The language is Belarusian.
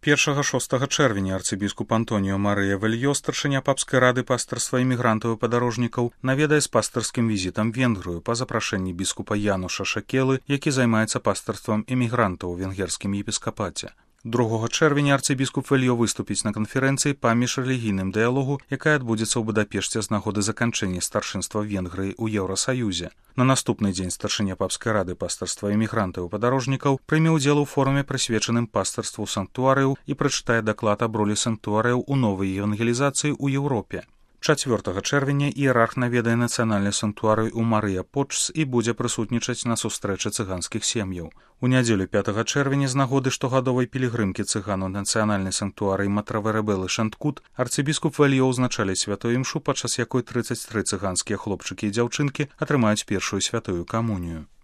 1-6 чэрвеня арцыбіскуп Антоніо Марыя Вельё, старшыня папскай рады пастырства імігрантаў і падарожнікаў, наведае з пастырскім візітам Венгрыю па запрашэнні біскупа Януша Шакелы, які займаецца пастырствам імігрантаў у венгерскім епіскапаце. 2 чэрвеня арцыбіскуп Вельё выступіць на канферэнцыі па міжрэлігійным дыялогу, якая адбудзецца ў Будапешце з нагоды заканчэння старшынства Венгрыі ў Еўрасаюзе. На наступны дзень старшыня папскай рады пастырства імігрантаў і падарожнікаў прыме ўдзел у форуме, прысвечаным пастырству санктуарыяў, і прачытае даклад аб ролі санктуарыяў у новай евангелізацыі ў Еўропе. 4 чэрвеня іерарх наведае нацыянальны санктуарый у Марыя Почс і будзе прысутнічаць на сустрэчы цыганскіх сем'яў. У нядзелю 5 чэрвеня з нагоды штогадовай пілігрымкі цыган у нацыянальны санктуарый Матраверебелы Шанткут арцыбіскуп Вельё ўзначаліць святую імшу, падчас якой 33 цыганскія хлопчыкі і дзяўчынкі атрымаюць першую святую камунію.